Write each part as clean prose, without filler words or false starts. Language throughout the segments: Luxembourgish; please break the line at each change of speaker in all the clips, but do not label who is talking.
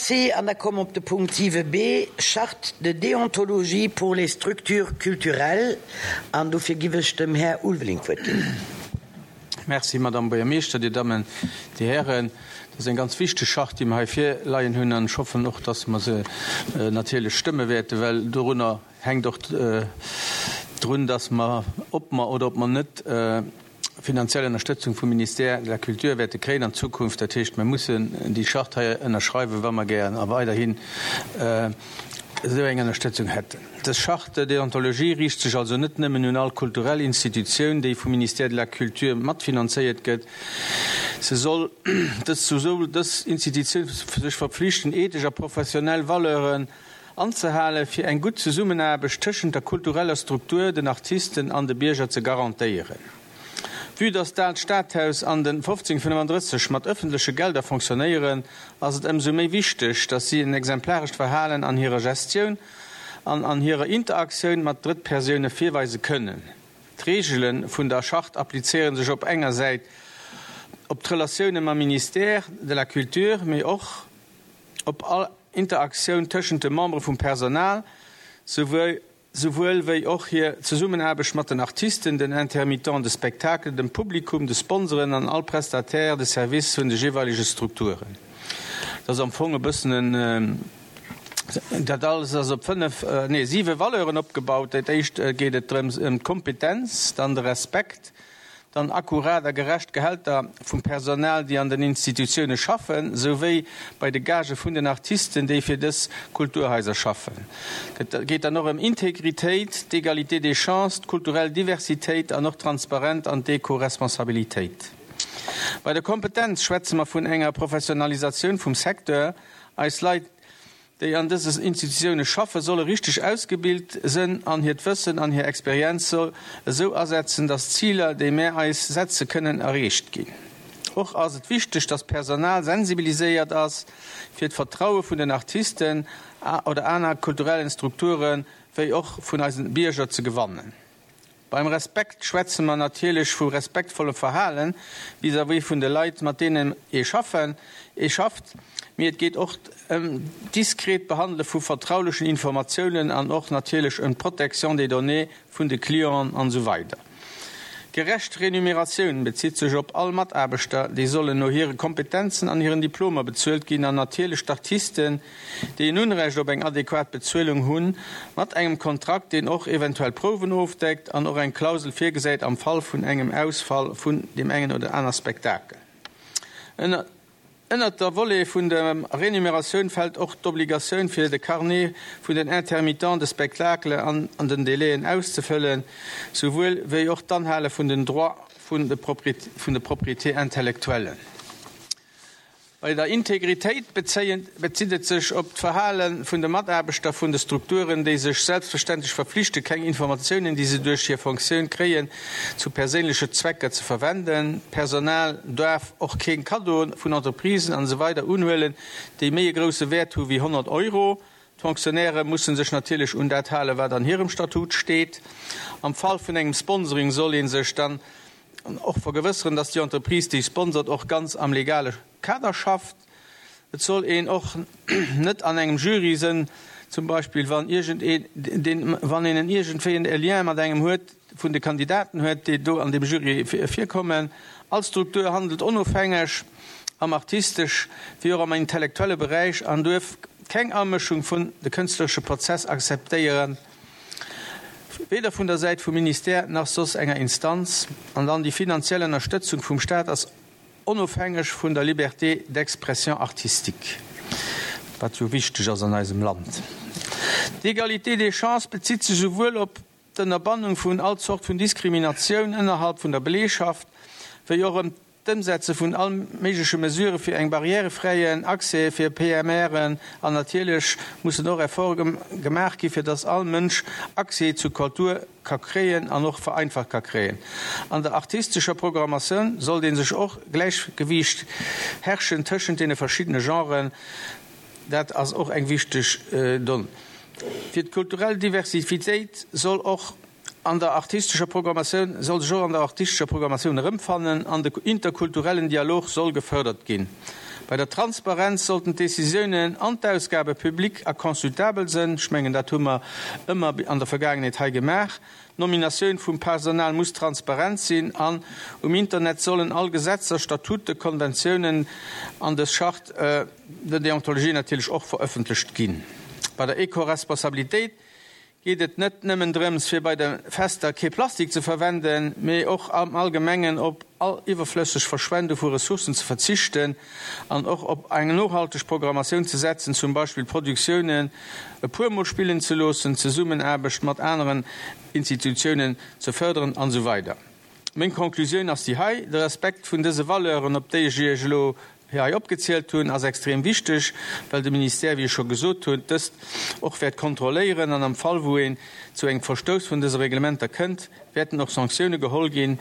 Merci. An da komme mer op de Punkt 7b, Charte de déontologie pour les structures culturelles. An dofir giff ech dem Här Ulveling d'Wuert ginn.
Merci, Madame Buergermeeschter, Dir Dammen, Dir Hären. Dat ass eng ganz wichteg Charte, déi mer hei virleien hunn, an ech hoffen och, dass mer se natierlech stëmme wäerten, well dorunner hänkt och drun, dass mer, ob mer oder ob mer net finanziell Ënnerstëtzung vum Ministère de la Culture wäerte kréien an Zukunft. Dat heescht, mer mussen déi Charte hei ënnerschreiwen, wa mer gären a weiderhin esou eng Ënnerstëtzung hätten. Dës Charte de déontologie riicht sech also net nëmmen un all kulturell Institutioun, déi vum Ministère de la Culture matfinanzéiert gëtt, se soll dës soll dës Institutioun sech verpflichten, ethesch a professionell Valeuren anzehalen, fir eng gutt Zesummenaarbecht tëschent der kultureller Struktur, den Artisten an de Bierger ze garantéieren. Vue dass d'Aalt Stadhaus an den 1535 mat ëffentleche Gelder fonctionnéieren, ass et ëmsou méi wichteg, dass si en exemplarescht Verhalen an hirer Gestioun an an hirer Interaktioun mat Drëttpersoune virweise kënnen. D'Reegele vun der Charte applizéiere sech op enger Säit op d'Relatioune mam Ministère de la Culture, mee och op all Interaktioun tëschent de Membere vum Personal, souwuel souwuel wéi och hir Zesummenaarbecht mat den Artisten, den Intermittents de spectacle, dem Publikum, de Sponsoren an all Prestataire de service vun de jeeweilege Strukturen. Dat ass am Fong e bëssen en, dat alles ass op fënnef, nee siwe Valeuren opgebaut. Dat éischt geet et drëms ëm d'Kompetenz, dann de Respekt, Dann akkurat a gerecht Gehälter vum Personal, déi an den Institutioune schaffen, souwéi bei de Gagë vun den Artisten, déi fir dës Kulturhaiser schaffen. Et geet dann och ëm Integritéit, d'Égalité des chances, d'kulturell Diversitéit an och d'Transparent an d'Eco-Responsabilitéit. Bei der Kompetenz schwätze mer vun enger Professionalisatioun vum Secteur. Eis Leit, déi an dëse Institutioune schaffen, solle richteg ausgebilt sënn an hiert Wëssen an hir Experienz soll esou asetzen, dass d'Ziler, déi mär eis setze kënnen, erreecht ginn. Och ass et wichteg, dass d'Personal sensibiliséiert ass, fir d'Vertraue vun den Artisten oder aner kulturellen Strukture wéi och vun eisen Bierger ze gewannen. Beim Respekt schwätze mer natierlech vu respektvollem Verhale vis-à-vis vun de Leit, mat deenen ee schaffen, ee schafft, mee et geet och ëm d'diskret Behandele vu vertraulechen Informatiounen an och natierlech ëm d'Protection des données vun de Clienten an esou weider. Gerecht Renumeratioun bezitt sech op all Mataarbechter, déi sollen no hire Kompetenzen an hiren Diplomer bezuelt ginn an natierlech d'Artisten, déi en Unrecht op eng adequat Bezuelung hunn, mat engem Kontrakt, deen och eventuell Prouwen ofdeckt an och eng Klausel virgesäit am Fall vun engem Ausfall vun deem engen oder aner Spektakel. Ënnert der Volet vun der Renumeratioun fält och d'Obligatioun fir de Carnet vun den Intermittents de spectacle an den Délaiën auszefëllen, souwuel wéi och d'Anhale vun den Droits vun de Propriétés intellectuelles. Bei der Integritéit bezitt et sech op d'Verhale vun de Mataarbechter vun de Strukturen, déi sech selbstverständlech verflichte keng Informatiounen, déi se duerch hir Fonctioun kréien, zu perséinleche Zwecker ze verwenden. D'Personal duerf och keng Kaddoe vun Entreprisen an esou weider unhuelen, déi méi e grousse Wäert hu wéi 100 Euro. D'Fonctionnairë musse sech natierlech un dat halen, wat an hirem Statut steet. Am Fall vun engem Sponsoring soll ee sech dann An och vergewësseren, dass déi Entreprise, déi sponsert, och ganz am legale Kader schafft. Et soll een och net an engem Jury sënn, zum Beispill wann iergend een, deen, wann een en iergendwéi en Lien mat engem huet, vun de Kandidaten huet, déi do an deem Jury virkommen. All Struktur handelt onofhängeg am artistesch wéi och am intellektuelle Beräich an duerf keng Amëschung vun de kënstleresche Prozess akzeptéieren. Weder vun der Säit vum Ministère nach soss enger Instanz. An dann déi finanziell Ënnerstëtzung vum Staat ass onofhängeg vun der Liberté d'expression artistique, wat jo wichteg ass an eisem Land. D'Égalité des chances bezitt sech esouwuel op d'Ënnerbannung vun all Zort vun Diskriminatioun ënnerhalb vun der Beleegschaft, wéi och ëm D'Ëmsetze vun all méigleche Mesurë fir eng barrièrefräien Accès fir PMRen an natierlech mussen och Efforte gemaach gi fir dass all Mënsch Accès zu Kultur ka kréien an och vereinfacht ka kréien. An der artistescher Programmatioun sollt ee sech och Gläichgewiicht herrschen tëschent deene verschiddene Genren. Dat ass och eng wichteg Donn. Fir d'kulturell Diversifitéit soll och An der artistescher Programmatioun soll sech och an der artistescher Programmatioun erëmfannen an de interkulturellen Dialog soll gefërdert ginn. Bei der Transparenz sollten d'Décisiounen an d'Ausgabe public a consultabel sënn. Ech mengen, dat hu mer ëmmer an der Vergaangenheet hei gemaach. D'Nominatioun vum Personal muss transparent sinn an um Internet sollen all Gesetzer, Statuten, Konventiounen an dës Charte de déontologie natierlech och verëffentlecht ginn. Bei der Eco-Responsabilitéit geet et net nëmmen drëms, fir bei de Fester kee Plastik ze verwenden, mee och am Allgemengen op all iwwerflësseg Verschwendung vu Ressourcen ze verzichten an och op eng nohalteg Programmatioun ze setzen, zum Beispill Produktiounen e puer Mol spillen ze loossen, d'Zesummenaarbecht mat aneren Institutiounen ze fërderen an esou weider. Meng Conclusioun ass déi hei, De Respekt vun dëse Valeuren, op déi ech Iech elo hei opgezielt hunn, ass extrem wichteg, well de Ministère, wéi ech scho gesot hunn, dëst och wäert kontrolléieren an am Fall wou een zu engem Verstouss vun dëse Reglementer kënnt, wäerten och Sanktioune geholl ginn,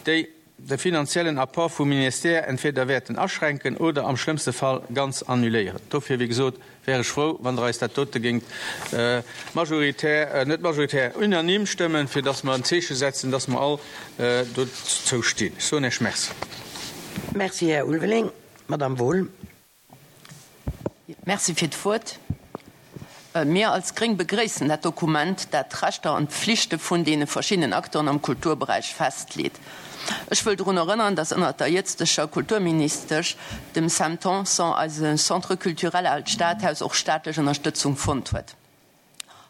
déi de finanziellen Apport vum Ministère entweder wäerten aschränken oder am schlëmmste Fall ganz annuléieren. Dofir, wéi gesot, wär ech frou, wann Der eis dat dote géingt majoritär, net majoritär, unanime stëmmen, fir dass mer en Zeeche setzen, dass mer all dozou stinn. Ech soen Iech Merci.
Merci, Här Ulveling. Madamm Wohl.
Merci fir d'Wuert. Mir als Gréng begréissen dat Dokument, dat d'Rechter an d'Pflichte vun deene verschiddenen Acteuren am Kulturberäich festleet. Ech wëll drun erënneren, dass ënnert der jëtzteger Kulturministesch, dem Sam Tanson, eise Centre culturel Aalt Stadhaus och staatlech Ënnerstëtzung fonnt huet.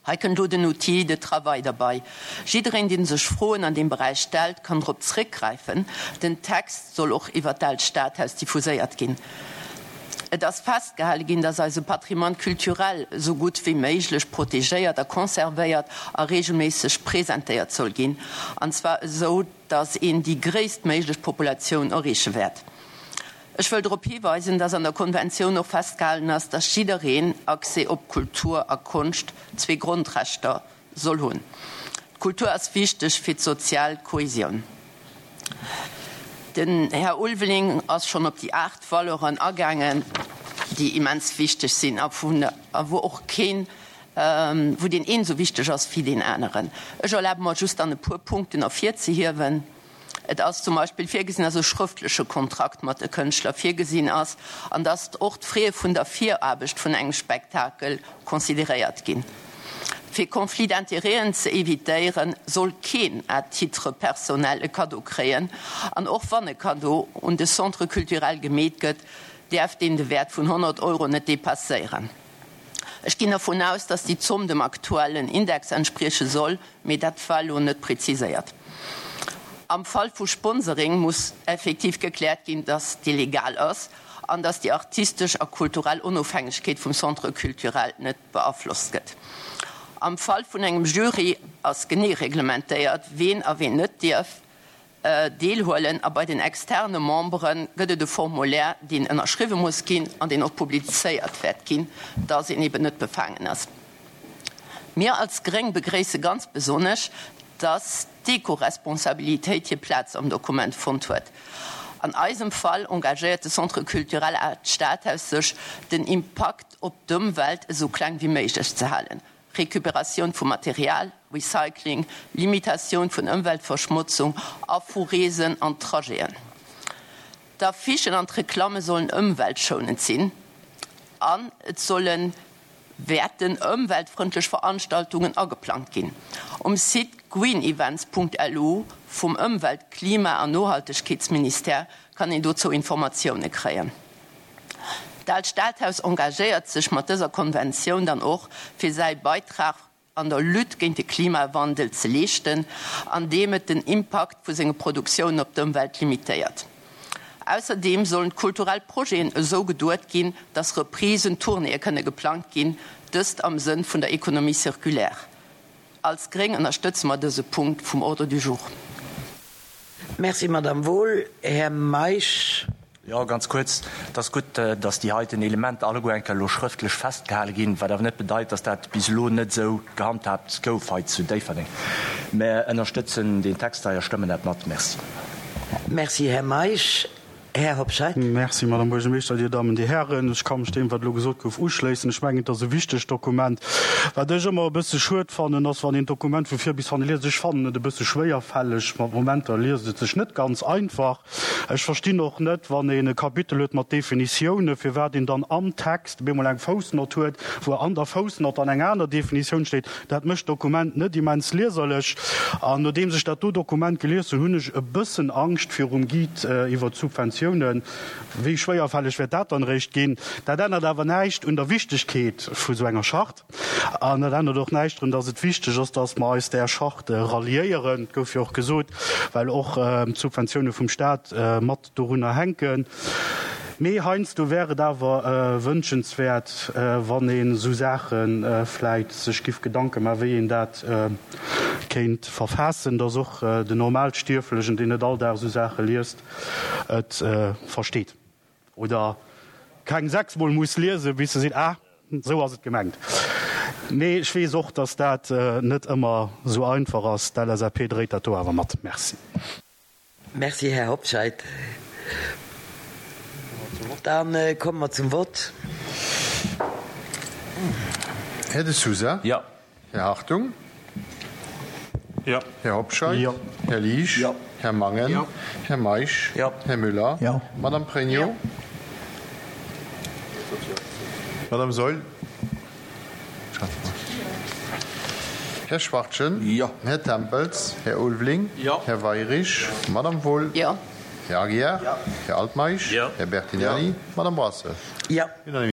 Hei kënnt elo den Outil de travail derbei. Jiddereen, dee sech Froen an deem Beräich stellt, kann drop zréckgräifen. Den Text soll och iwwert d'Aalt Stadhaus diffuséiert ginn. Et ass festgehale ginn, dass eise Patrimoine culturel esou gutt wéi méiglech protegéiert a conservéiert a regelméisseg presentéiert soll ginn, an zwar esou, dass een déi gréisstméiglech Populatioun erreeche wäert. Ech wëll drop hiweisen, dass an der Konventioun och festgehalen ass, dass jiddereen Accès op Kultur a Konscht, zwee Grondrechter, soll hunn. D'Kultur ass wichteg fir d'sozial Kohesioun. Den Här Ulveling ass schonn op déi 8 Valeuren agaangen, déi immens wichteg sinn a wou och keen, wou deen een esou wichteg ass wéi deen aneren. Ech erlabe mer just dann e puer Punkten ervirzehiewen. Et ass zum Beispill virgesinn, dass e schrëftleche Kontrakt mat de Kënschtler virgesinn ass an dass och d'Fraie vun der Viraarbecht vun engem Spektakel consideréiert ginn. Fir Conflits d'intérêten ze evitéieren, soll keen à titre personnel e Kaddo kréien an och wann e Kaddo un de Centre culturel gemeet gëtt, däerf deen de Wäert vun 100 Euro net depasséieren. Ech ginn dervun aus, dass déi Zomm dem aktuellen Index entsprieche soll, mee dat war elo net preziséiert. Am Fall vu Sponsoring muss effektiv gekläert ginn, dass dee legal ass an dass déi artistesch a kulturell Onofhängegkeet vum Centre culturel net beaflosst gëtt. Am Fall vun engem Jury ass genee reglementéiert, ween a ween net dierf deelhuelen a bei den externe Membere gëtt et e Formulaire, deen ënnerschriwwe muss ginn an deen och publizéiert wäert ginn, dass een eben net befaangen ass. Mir als Gréng begréisse ganz besonnesch, dass d'Ecoresponsabilitéit hir Plaz am Dokument fonnt huet. An eisem Fall engagéiert de Centre culturel Art Stadhaus sech, den Impakt op d'Ëmwelt esou kleng wéi méiglech ze halen. Recuperatioun vu Material, Recycling, Limitatioun vun Ëmweltverschmotzung a vu Reesen an Trajeten. D'Affichen an d'Reklamme sollen ëmweltschounend sinn an et solle wäerten ëmweltfrëndlech Veranstaltungen ageplangt ginn. Um Site greenevents.lu vum Ëmwelt-, Klima an Nohaltegkeetsministère kann een dozou Informatioune kréien. D'Aalt Stadhaus engagéiert sech mat dëser Konventioun dann och, fir säi Beitrag an der Lutte géint de Klimawandel ze leeschten, andeem et den Impakt vu senge Produktiounen op d'Ëmwelt limitéiert. Ausserdeem sollen d'kulturell Projeten esou geduet ginn, dass Reprisen, Tournéeë kënne geplangt ginn, dëst am Sënn vun der Économie circulaire. Als Gréng ënnerstëtze mer dëse Punkt vum Ordre du jour.
Merci, Madamm Wohl. Här Meisch.
Jo, ganz kuerz. Et ass gutt, dass déi heiten Elementer alleguer eng Kéier elo schrëftlech festgehale ginn, wat awer net bedeit, dass dat bis elo net esou gehandhaabt gouf hei zu Déifferdeng. Mär ënnerstëtzen deen Text hei a stëmmen dat mat. Merci.
Merci, Här Meisch. Här Hobscheit.
Merci, Madame Buergermeeschter, Dir Dammen, Dir Hären. Ech ka mech deem, wat elo gesot gouf, uschléissen. Ech mengen, et ass e wichtegt Dokument. Wat ech ëmmer e bësse schued fannen, ass, wann een d'Dokument vu vir bis hanne liest. Ech fannen et e bësse schwéierfälleg. Mat Momenter liest et sech net ganz einfach. Ech verstinn och net, wann een e Kapitel huet mat Definitiounen, firwat een dann am Text op eemol eng Foussnott huet, wou an der Foussnott dann eng aner Definitioun steet. Dat mécht d'Dokument net immens lieserlech. An nodeems ech dat do Dokument gelies hunn, hunn ech e bëssen Angscht virum Guide iwwert d'Subventiounen. Wéi schwéierfälleg wäert dat dann eréischt ginn? Dat ännert awer näischt un der Wichtegkeet vu sou enger Charte. An dat ännert och näischt drun, dass et wichteg ass, dass mer eis där Charte ralliéieren. Et gouf jo och gesot, well och d'Subventioune vum Stat mat dorunner hänken. Mee heiansdo wär et awer wënschenswäert, wann een esou Saache vläit sech giff Gedanke maachen, wéi een dat kéint verfaassen, dass och den Normalstierflegen, deen net all Dag esou Saache liest, et versteet. Oder keng sechsmol muss liesen, bis se seet, ah, esou ass et gemengt. Mee ech weess och, dass dat net ëmmer esou einfach ass. D'LSAP dréit dat do awer mat. Merci.
Merci, Här Hobscheit. Da komme mer zum Vott.
Här De Sousa.
Jo.
Här Hartung.
Jo.
Här Hobscheit.
Jo.
Här Liesch.
Jo.
Här Mangen.
Jo.
Här Meisch.
Jo.
Här Müller.
Jo.
Madame Pregno.
Jo.
Madame Saeul. Här Schwachtgen.
Jo.
Här Tempels. Här Ulveling.
Jo.
Här Weirich. Madame Wohl.
Jo.
Här Aguiar.
Jo.
Här Altmeisch.
Jo.
Här Bertinelli. Madame Brasseur.
Jo.